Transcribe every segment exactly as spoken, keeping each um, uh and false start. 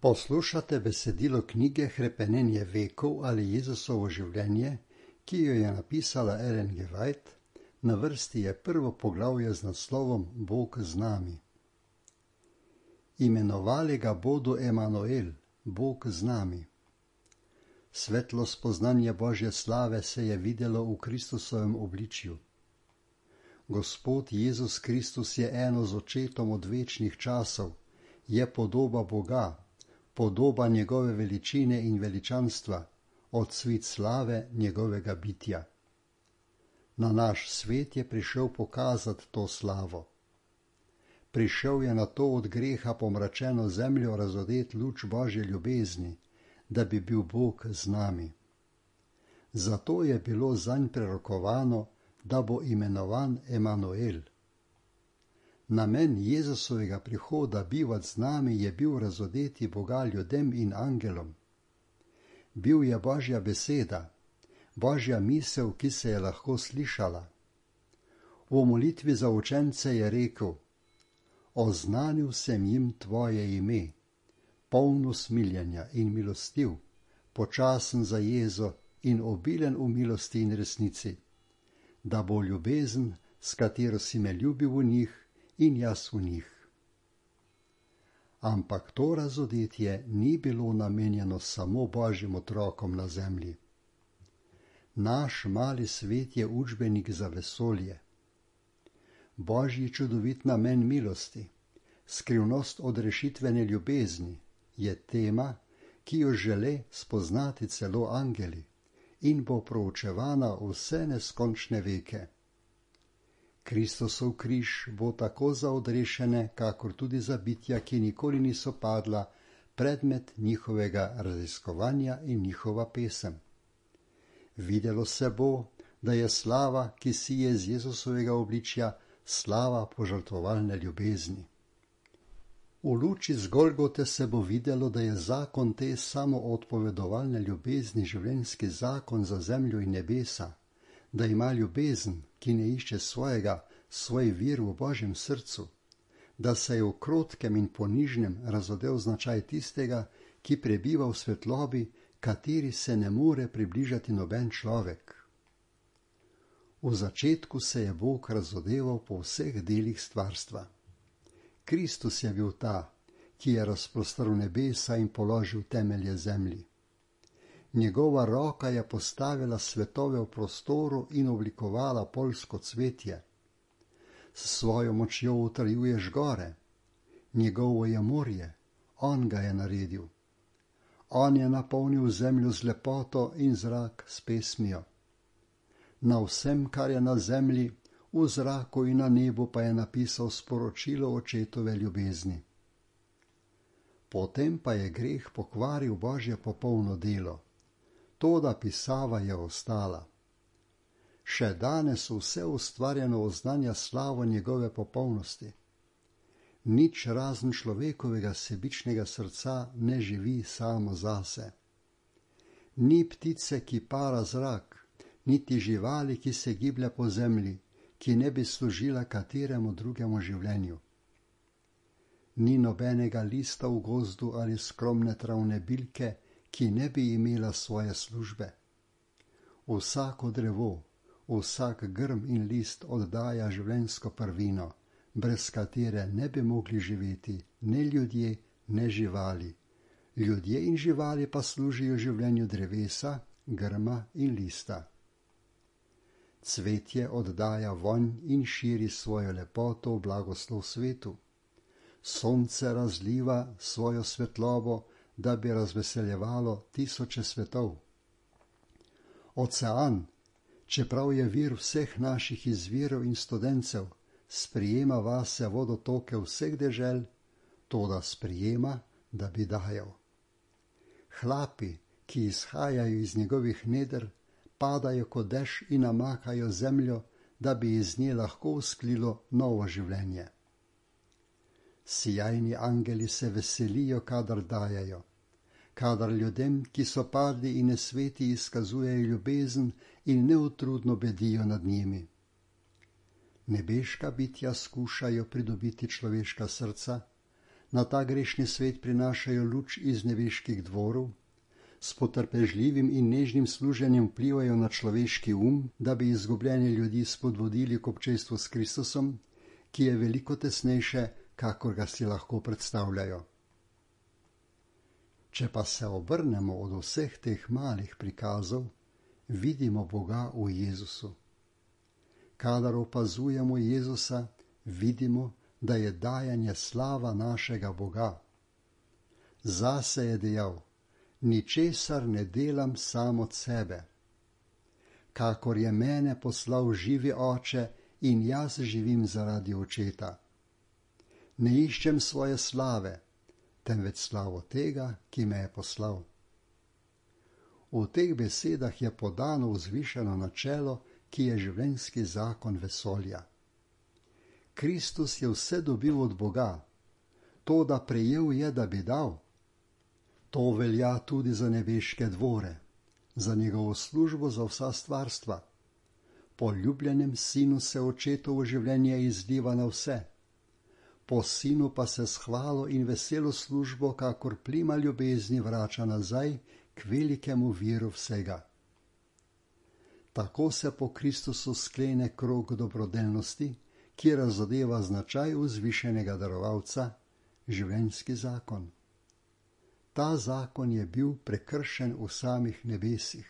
Poslušate besedilo knjige Hrepenenje vekov ali Jezusovo življenje, ki jo je napisala Ellen G. White. Na vrsti je prvo poglavje z naslovom Bog z nami. Imenovali ga bodo Emanuel, Bog z nami. Svetlo spoznanje Božje slave se je videlo v Kristusovem obličju. Gospod Jezus Kristus je eno z očetom od večnih časov, je podoba Boga, podoba njegove veličine in veličanstva, odsvit slave njegovega bitja. Na naš svet je prišel pokazati to slavo. Prišel je na to od greha pomračeno zemljo razodet luč Božje ljubezni, da bi bil Bog z nami. Zato je bilo zanj prerokovano, da bo imenovan Emanuel. Namen Jezusovega prihoda bivat z nami je bil razodeti Boga ljudem in angelom. Bil je Božja beseda, Božja misel, ki se je lahko slišala. V molitvi za učence je rekel: Oznanil sem jim tvoje ime, poln usmiljenja in milostiv, počasen za jezo in obilen v milosti in resnici, da bo ljubezen, s katero si me ljubil v njih, in jaz v njih. Ampak to razodetje ni bilo namenjeno samo Božjim otrokom na zemlji. Naš mali svet je učbenik za vesolje. Božji čudovit namen milosti, skrivnost odrešitvene ljubezni, je tema, ki jo žele spoznati celo angeli in bo proučevana vse neskončne veke. Kristusov križ bo tako za odrešene, kakor tudi za bitja, ki nikoli niso padla, predmet njihovega raziskovanja in njihova pesem. Videlo se bo, da je slava, ki sije z Jezusovega obličja, slava požrtvovalne ljubezni. V luči z Golgote se bo videlo, da je zakon te samoodpovedovalne ljubezni življenjski zakon za zemljo in nebesa, da ima ljubezen, ki ne išče svojega, svoj vir v Božjem srcu, da se je v krotkem in ponižnem razodel značaj tistega, ki prebiva v svetlobi, kateri se ne more približati noben človek. V začetku se je Bog razodeval po vseh delih stvarstva. Kristus je bil ta, ki je razprostrl nebesa in položil temelje zemlji. Njegova roka je postavila svetove v prostoru in oblikovala poljsko cvetje. S svojo močjo utrjuješ gore. Njegovo je morje, on ga je naredil. On je napolnil zemljo z lepoto in zrak s pesmijo. Na vsem, kar je na zemlji, v zraku in na nebu pa je napisal sporočilo očetove ljubezni. Potem pa je greh pokvaril Božje popolno delo. Toda pisava je ostala. Še danes vse ustvarjeno oznanja slavo njegove popolnosti. Nič razen človekovega sebičnega srca ne živi samo zase. Ni ptice, ki para zrak, niti živali, ki se giblje po zemlji, ki ne bi služila kateremu drugemu življenju. Ni nobenega lista v gozdu ali skromne travne bilke, ki ne bi imela svoje službe. Vsako drevo, vsak grm in list oddaja življenjsko prvino, brez katere ne bi mogli živeti ne ljudje, ne živali. Ljudje in živali pa služijo življenju drevesa, grma in lista. Cvetje oddaja vonj in širi svojo lepoto v blagoslov svetu. Sonce razliva svojo svetlobo, da bi razveseljevalo tisoče svetov. Ocean, čeprav je vir vseh naših izvirov in studencev, sprijema vase vodotoke vseh dežel, toda sprijema, da bi dajal. Hlapi, ki izhajajo iz njegovih neder, padajo kot dež in namakajo zemljo, da bi iz nje lahko vzklilo novo življenje. Sijajni angeli se veselijo, kadar dajajo, kadar ljudem, ki so padli in nesveti, izkazujejo ljubezen in neutrudno bedijo nad njimi. Nebeška bitja skušajo pridobiti človeška srca, na ta grešni svet prinašajo luč iz nebeških dvorov, s potrpežljivim in nežnim služenjem vplivajo na človeški um, da bi izgubljene ljudi spodbudili k občestvu s Kristusom, ki je veliko tesnejše, kakor ga si lahko predstavljajo. Če pa se obrnemo od vseh teh malih prikazov, vidimo Boga v Jezusu. Kadar opazujemo Jezusa, vidimo, da je dajanje slava našega Boga. Zase je dejal: ničesar ne delam sam od sebe. Kakor je mene poslal živi Oče, in jaz živim zaradi Očeta. Ne iščem svoje slave, temveč slavo tega, ki me je poslal. V teh besedah je podano vzvišeno načelo, ki je življenjski zakon vesolja. Kristus je vse dobil od Boga, to, da prejel je, da bi dal. To velja tudi za nebeške dvore, za njegovo službo, za vsa stvarstva. Po ljubljenem sinu se Očetovo življenje izliva na vse. Po sinu pa se s hvalo in veselo službo, kakor plima ljubezni, vrača nazaj k velikemu viru vsega. Tako se po Kristusu sklene krog dobrodelnosti, ki razodeva značaj vzvišenega darovalca, življenjski zakon. Ta zakon je bil prekršen v samih nebesih.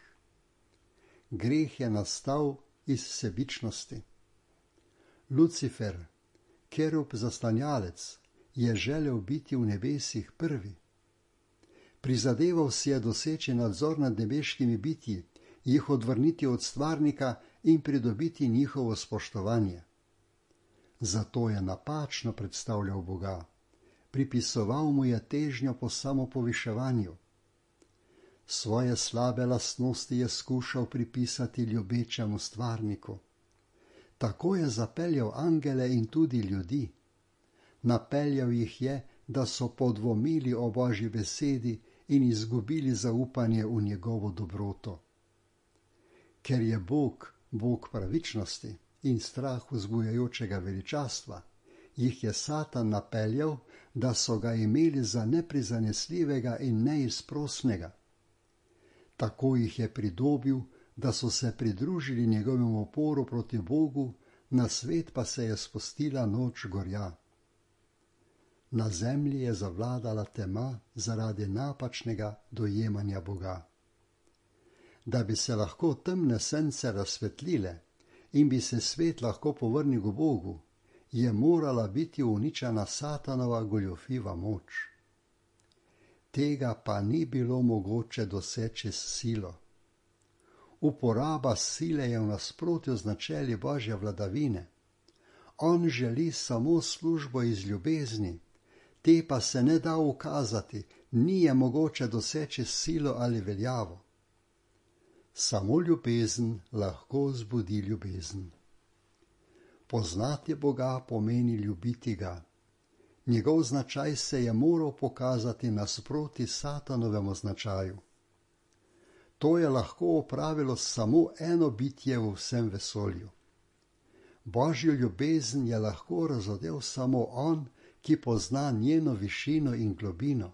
Greh je nastal iz sebičnosti. Lucifer, kerub zaslanjalec, je želel biti v nebesih prvi. Prizadeval si je doseči nadzor nad nebeškimi bitji, jih odvrniti od stvarnika in pridobiti njihovo spoštovanje. Zato je napačno predstavljal Boga. Pripisoval mu je težnjo po samopoviševanju. Svoje slabe lastnosti je skušal pripisati ljubečemu stvarniku. Tako je zapeljal angele in tudi ljudi. Napeljal jih je, da so podvomili o Božji besedi in izgubili zaupanje v njegovo dobroto. Ker je Bog, Bog pravičnosti in strah vzbujajočega veličastva, jih je Satan napeljal, da so ga imeli za neprizanesljivega in neizprosnega. Tako jih je pridobil, da so se pridružili njegovemu oporu proti Bogu, na svet pa se je spustila noč gorja. Na zemlji je zavladala tema zaradi napačnega dojemanja Boga. Da bi se lahko temne sence razsvetlile in bi se svet lahko povrnil k Bogu, je morala biti uničena Satanova goljofiva moč. Tega pa ni bilo mogoče doseči s silo. Uporaba sile je v nasprotju z načeli Božje vladavine. On želi samo službo iz ljubezni, te pa se ne da ukazati, ni je mogoče doseči s silo ali veljavo. Samo ljubezen lahko zbudi ljubezen. Poznati Boga pomeni ljubiti ga. Njegov značaj se je moral pokazati nasproti Satanovemu značaju. To je lahko opravilo samo eno bitje v vsem vesolju. Božjo ljubezen je lahko razodel samo on, ki pozna njeno višino in globino.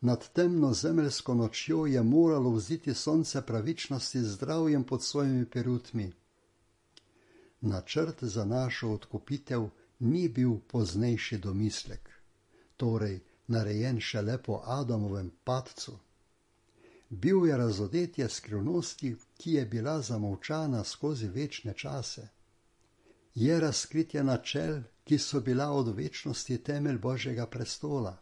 Nad temno zemeljsko nočjo je moralo vziti sonce pravičnosti z zdravjem pod svojimi perutmi. Načrt za našo odkupitev ni bil poznejši domislek, torej narejen šele po Adamovem padcu. Bil je razodetje skrivnosti, ki je bila zamolčana skozi večne čase. Je razkritje načel, ki so bila od večnosti temelj Božjega prestola.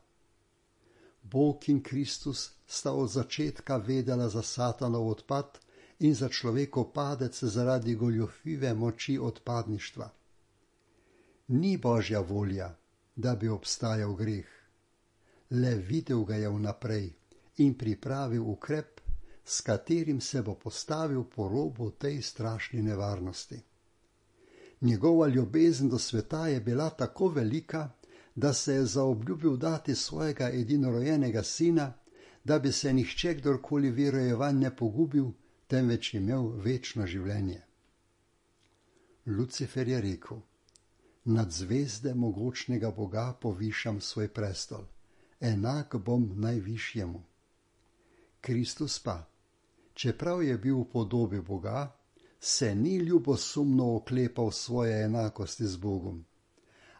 Bog in Kristus sta od začetka vedela za Satanov odpad in za človekov padec zaradi goljofive moči odpadništva. Ni Božja volja, da bi obstajal greh. Le videl ga je vnaprej in pripravil ukrep, s katerim se bo postavil po robu tej strašni nevarnosti. Njegova ljubezen do sveta je bila tako velika, da se je zaobljubil dati svojega edinorojenega sina, da bi se nihče kdorkoli verojevanj ne pogubil, temveč imel večno življenje. Lucifer je rekel: nad zvezde mogočnega Boga povišam svoj prestol, enak bom najvišjemu. Kristus pa, čeprav je bil v podobi Boga, se ni ljubosumno oklepal svoje enakosti z Bogom,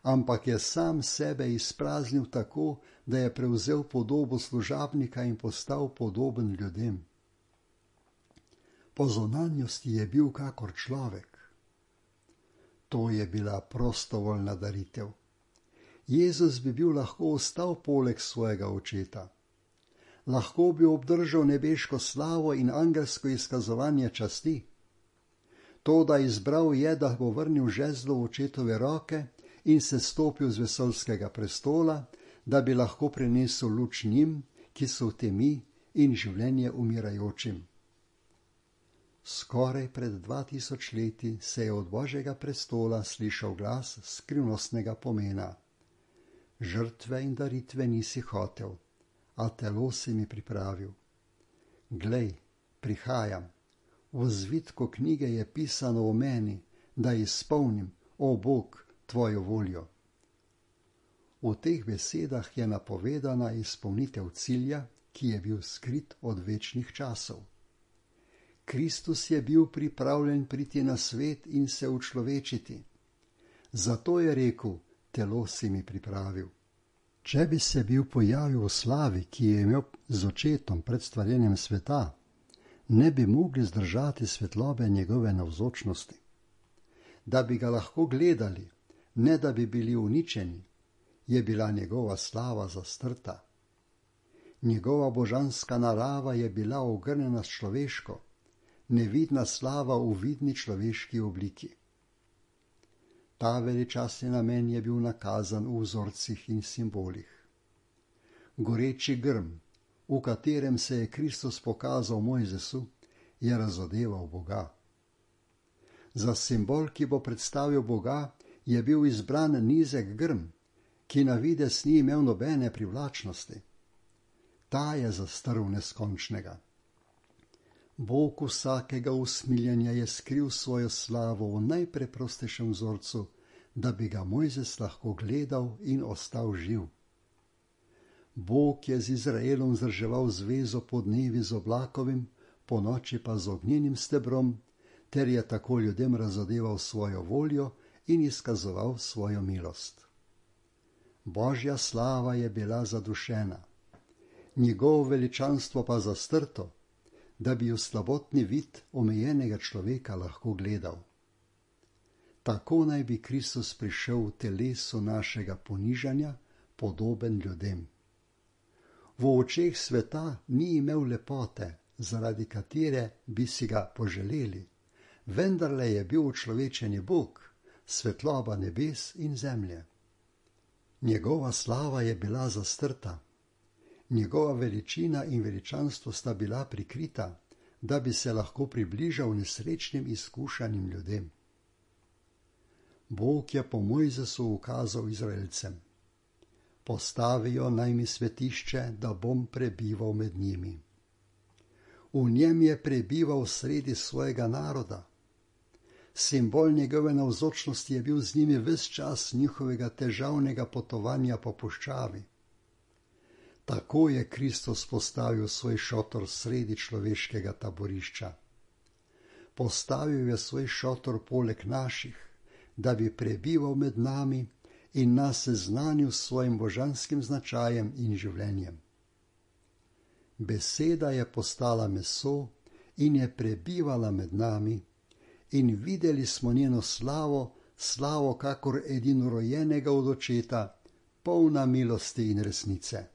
ampak je sam sebe izpraznil tako, da je prevzel podobo služabnika in postal podoben ljudem. Po zunanjosti je bil kakor človek. To je bila prostovoljna daritev. Jezus bi bil lahko ostal poleg svojega očeta. Lahko bi obdržal nebeško slavo in angelsko izkazovanje časti. To, da izbral je, da bo vrnil žezlo v očetove roke in se stopil z vesoljskega prestola, da bi lahko prinesel luč njim, ki so v temi, in življenje umirajočim. Skoraj pred dva tisoč leti se je od Božjega prestola slišal glas skrivnostnega pomena. Žrtve in daritve nisi hotel, a telo si mi pripravil. Glej, prihajam. V zvitku knjige je pisano o meni, da izpolnim, o Bog, tvojo voljo. V teh besedah je napovedana izpolnitev cilja, ki je bil skrit od večnih časov. Kristus je bil pripravljen priti na svet in se učlovečiti. Zato je rekel, telo si mi pripravil. Če bi se bil pojavil v slavi, ki je imel z očetom pred stvarjenjem sveta, ne bi mogli zdržati svetlobe njegove navzočnosti. Da bi ga lahko gledali, ne da bi bili uničeni, je bila njegova slava zastrta. Njegova božanska narava je bila ogrnjena s človeško, nevidna slava v vidni človeški obliki. Ta veličastni namen je bil nakazan v vzorcih in simbolih. Goreči grm, v katerem se je Kristus pokazal Mojzesu, je razodeval Boga. Za simbol, ki bo predstavil Boga, je bil izbran nizek grm, ki na videz ni imel nobene privlačnosti. Ta je zastrl neskončnega. Bog vsakega usmiljenja je skril svojo slavo v najpreprostejšem vzorcu, da bi ga Mojzes lahko gledal in ostal živ. Bog je z Izraelom vzdrževal zvezo po dnevi z oblakovim, po noči pa z ognjenim stebrom, ter je tako ljudem razodeval svojo voljo in izkazoval svojo milost. Božja slava je bila zadušena, njegovo veličanstvo pa zastrto, da bi v slabotni vid omejenega človeka lahko gledal. Tako naj bi Kristus prišel v telesu našega ponižanja, podoben ljudem. V očeh sveta ni imel lepote, zaradi katere bi si ga poželeli, vendarle je bil učlovečeni Bog, svetloba nebes in zemlje. Njegova slava je bila zastrta, njegova veličina in veličanstvo sta bila prikrita, da bi se lahko približal nesrečnim izkušanim ljudem. Bog je po Mojzesu ukazal Izraelcem: postavijo naj mi svetišče, da bom prebival med njimi. V njem je prebival sredi svojega naroda. Simbol njegove navzočnosti je bil z njimi ves čas njihovega težavnega potovanja po puščavi. Tako je Kristus postavil svoj šotor sredi človeškega taborišča. Postavil je svoj šotor poleg naših, da bi prebival med nami in nas seznanil s svojim božanskim značajem in življenjem. Beseda je postala meso in je prebivala med nami in videli smo njeno slavo, slavo kakor edinorojenega od očeta, polna milosti in resnice.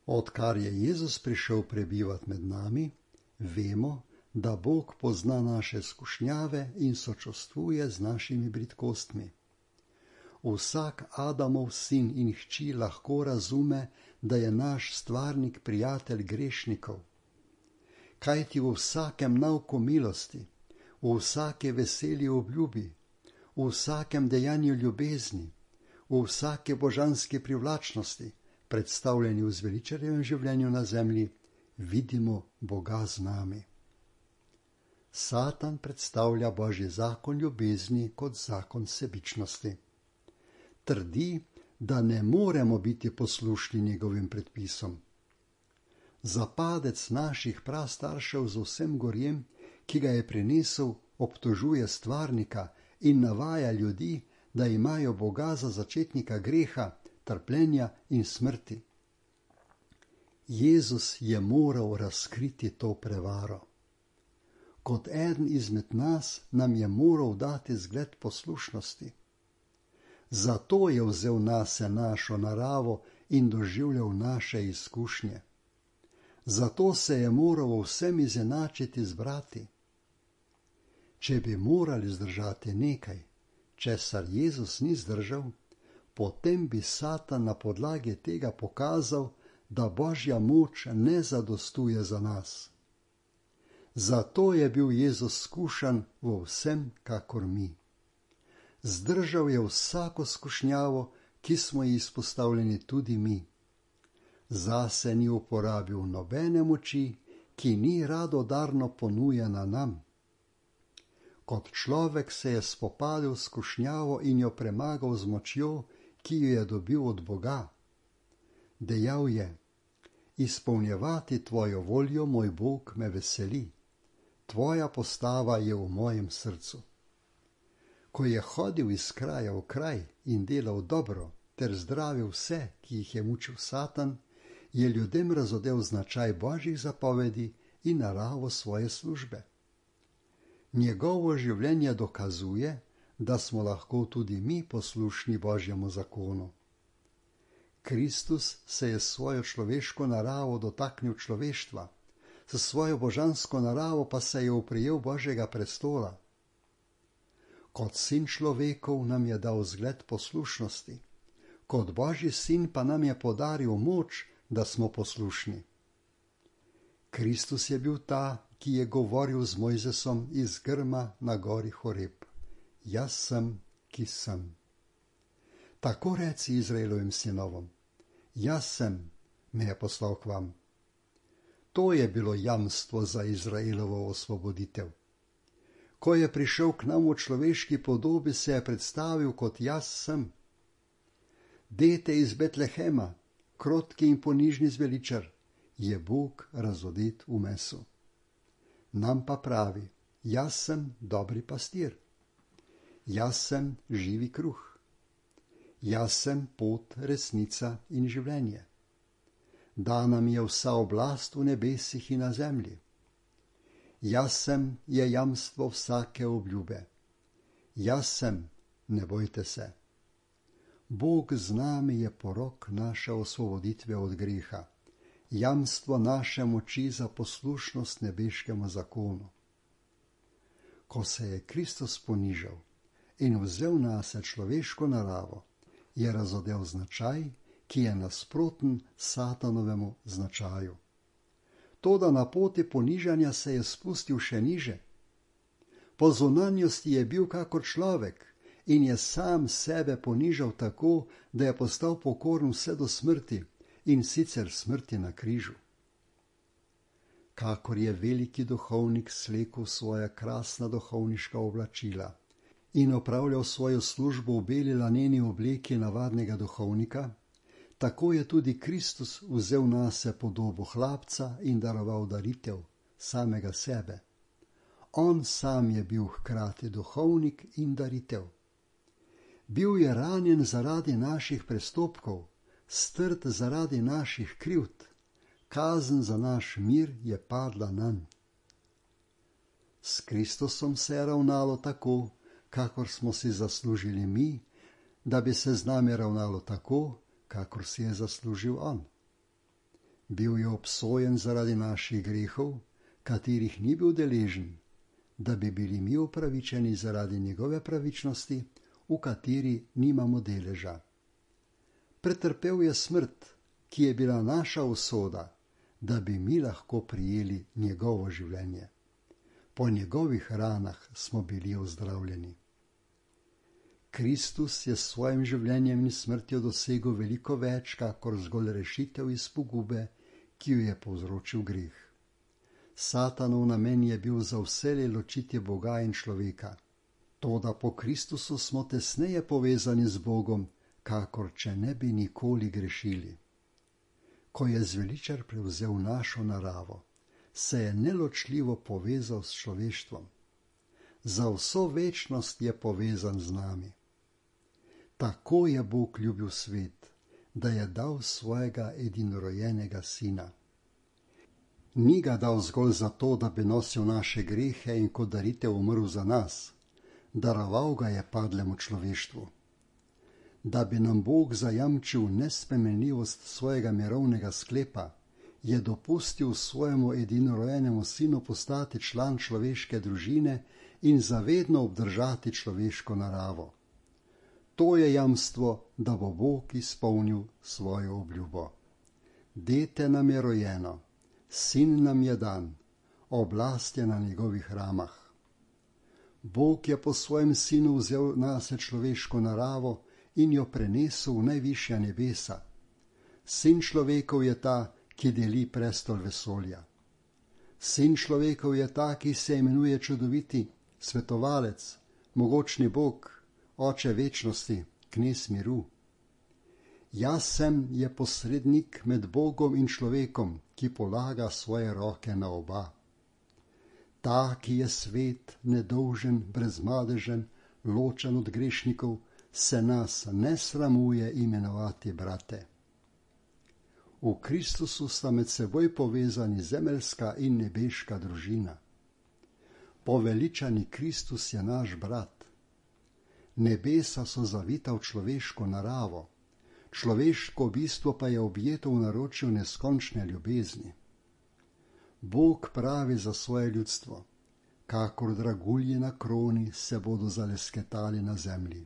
Odkar je Jezus prišel prebivat med nami, vemo, da Bog pozna naše skušnjave in sočustvuje z našimi bridkostmi. Vsak Adamov sin in hči lahko razume, da je naš stvarnik prijatelj grešnikov. Kajti v vsakem nauku milosti, v vsake veseli obljubi, v vsakem dejanju ljubezni, v vsake božanske privlačnosti, predstavljeni v zveličarjevem življenju na zemlji, vidimo Boga z nami. Satan predstavlja Božji zakon ljubezni kot zakon sebičnosti. Trdi, da ne moremo biti poslušni njegovim predpisom. Za padec naših prastaršev z vsem gorjem, ki ga je prinesel, obtožuje stvarnika in navaja ljudi, da imajo Boga za začetnika greha, trpljenja in smrti. Jezus je moral razkriti to prevaro. Kot eden izmed nas nam je moral dati zgled poslušnosti. Zato je vzel nase našo naravo in doživljal naše izkušnje. Zato se je moral vsem izenačiti z brati. Če bi morali zdržati nekaj, česar Jezus ni zdržal, potem bi Satan na podlagi tega pokazal, da Božja moč ne zadostuje za nas. Zato je bil Jezus skušan v vsem, kakor mi. Zdržal je vsako skušnjavo, ki smo ji izpostavljeni tudi mi. Zase ni uporabil nobene moči, ki ni radodarno ponujena nam. Kot človek se je spopadel s skušnjavo in jo premagal z močjo, ki jo je dobil od Boga. Dejal je: izpolnjevati tvojo voljo, moj Bog, me veseli. Tvoja postava je v mojem srcu. Ko je hodil iz kraja v kraj in delal dobro ter zdravil vse, ki jih je mučil Satan, je ljudem razodel značaj Božjih zapovedi in naravo svoje službe. Njegovo življenje dokazuje, da smo lahko tudi mi poslušni Božjemu zakonu. Kristus se je s svojo človeško naravo dotaknil človeštva, s svojo božansko naravo pa se je oprijel Božjega prestola. Kot sin človekov nam je dal zgled poslušnosti, kot Božji sin pa nam je podaril moč, da smo poslušni. Kristus je bil ta, ki je govoril z Mojzesom iz grma na gori Horeb: jaz sem, ki sem. Tako reci Izraelovim sinovom: jaz sem, me je poslal k vam. To je bilo jamstvo za Izraelovo osvoboditev. Ko je prišel k nam v človeški podobi, se je predstavil kot jaz sem. Dete iz Betlehema, krotki in ponižni zveličar, je Bog razodet v mesu. Nam pa pravi: jaz sem dobri pastir. Jaz sem živi kruh. Jaz sem pot, resnica in življenje. Dana mi je vsa oblast v nebesih in na zemlji. Jaz sem je jamstvo vsake obljube. Jaz sem, ne bojte se. Bog z nami je porok naše osvoboditve od greha, jamstvo naše moči za poslušnost nebeškemu zakonu. Ko se je Kristus ponižal in vzel nase človeško naravo, je razodel značaj, ki je nasproten Satanovemu značaju. Toda na poti ponižanja se je spustil še niže. Po zunanjosti je bil kakor človek in je sam sebe ponižal tako, da je postal pokoren vse do smrti, in sicer smrti na križu. Kakor je veliki duhovnik slekel svoja krasna duhovniška oblačila in opravljal svojo službo v beli laneni obleki navadnega duhovnika, tako je tudi Kristus vzel nase podobo hlapca in daroval daritev, samega sebe. On sam je bil hkrati duhovnik in daritev. Bil je ranjen zaradi naših prestopkov, strt zaradi naših krivd, kazen za naš mir je padla nanj. S Kristusom se je ravnalo tako, kakor smo si zaslužili mi, da bi se z nami ravnalo tako, kakor si je zaslužil on. Bil je obsojen zaradi naših grehov, katerih ni bil deležen, da bi bili mi upravičeni zaradi njegove pravičnosti, v kateri nimamo deleža. Pretrpel je smrt, ki je bila naša usoda, da bi mi lahko prijeli njegovo življenje. Po njegovih ranah smo bili ozdravljeni. Kristus je s svojim življenjem in smrtjo dosegel veliko več, kakor zgolj rešitev iz pogube, ki jo je povzročil greh. Satanov namen je bil za vselej ločiti Boga in človeka. Toda po Kristusu smo tesneje povezani z Bogom, kakor če ne bi nikoli grešili. Ko je zveličar prevzel našo naravo, se je neločljivo povezal s človeštvom. Za vso večnost je povezan z nami. Tako je Bog ljubil svet, da je dal svojega edinorojenega sina. Ni ga dal zgolj zato, da bi nosil naše grehe in kot daritev umrl za nas. Daroval ga je padlemu človeštvu. Da bi nam Bog zajamčil nespremenljivost svojega mirovnega sklepa, je dopustil svojemu edinorojenemu sinu postati član človeške družine in zavedno obdržati človeško naravo. To je jamstvo, da bo Bog izpolnil svojo obljubo. Dete nam je rojeno, sin nam je dan, oblast je na njegovih ramah. Bog je po svojem sinu vzel nase človeško naravo in jo prenesel v najvišja nebesa. Sin človekov je ta, ki deli prestol vesolja. Sin človekov je ta, ki se imenuje čudoviti, svetovalec, mogočni Bog, oče večnosti, knez miru. Jaz sem je posrednik med Bogom in človekom, ki polaga svoje roke na oba. Ta, ki je svet, nedolžen, brezmadežen, ločen od grešnikov, se nas ne sramuje imenovati brate. V Kristusu sta med seboj povezani zemeljska in nebeška družina. Poveličani Kristus je naš brat. Nebesa so zavita v človeško naravo, človeško bistvo pa je objeto v naročju neskončne ljubezni. Bog pravi za svoje ljudstvo, kakor dragulji na kroni se bodo zalesketali na zemlji.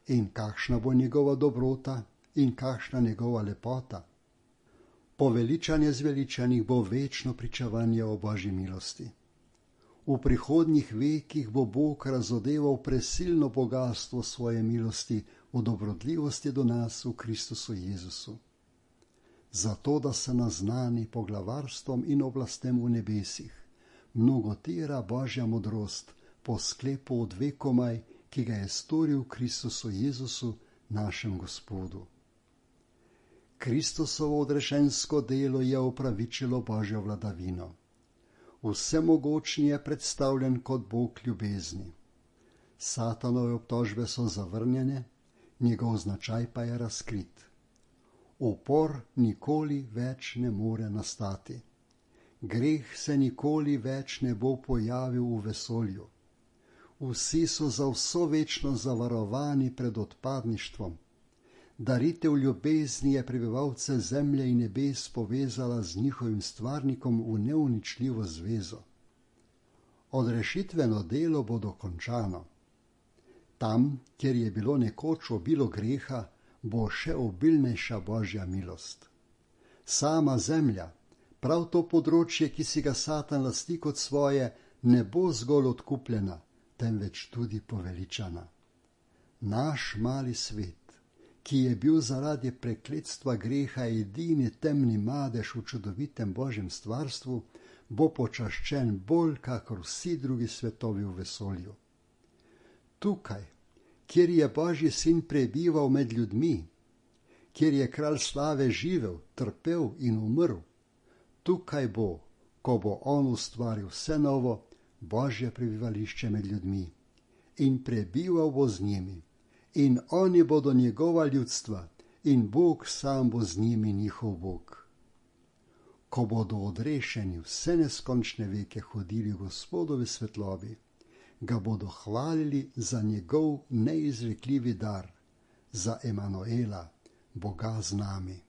In kakšna bo njegova dobrota in kakšna njegova lepota. Poveličanje zveličanih bo večno pričevanje o Božji milosti. V prihodnjih vekih bo Bog razodeval presilno bogastvo svoje milosti v dobrodljivosti do nas v Kristusu Jezusu. Zato, da se naznani poglavarstvom in oblastem v nebesih, mnogotera Božja modrost po sklepu od vekomaj, ki ga je storil v Kristusu Jezusu, našem Gospodu. Kristusovo odrešensko delo je opravičilo Božjo vladavino. Vsemogočni je predstavljen kot Bog ljubezni. Satanove obtožbe so zavrnjene, njegov značaj pa je razkrit. Upor nikoli več ne more nastati. Greh se nikoli več ne bo pojavil v vesolju. Vsi so za vso večnost zavarovani pred odpadništvom. Daritev ljubezni je prebivalce zemlje in nebes povezala z njihovim stvarnikom v neuničljivo zvezo. Odrešitveno delo bo dokončano. Tam, kjer je bilo nekoč obilo greha, bo še obilnejša Božja milost. Sama zemlja, prav to področje, ki si ga Satan lasti kot svoje, ne bo zgolj odkupljena, temveč tudi poveličana. Naš mali svet, ki je bil zaradi prekletstva greha edini temni madež v čudovitem Božjem stvarstvu, bo počaščen bolj kakor vsi drugi svetovi v vesolju. Tukaj, kjer je Božji sin prebival med ljudmi, kjer je kralj slave živel, trpel in umrl, tukaj bo, ko bo on ustvaril vse novo, Božje prebivališče med ljudmi in prebival bo z njimi. In oni bodo njegova ljudstva in Bog sam bo z njimi njihov Bog. Ko bodo odrešeni vse neskončne veke hodili Gospodovi svetlobi, ga bodo hvalili za njegov neizrekljivi dar, za Emanuela, Boga z nami.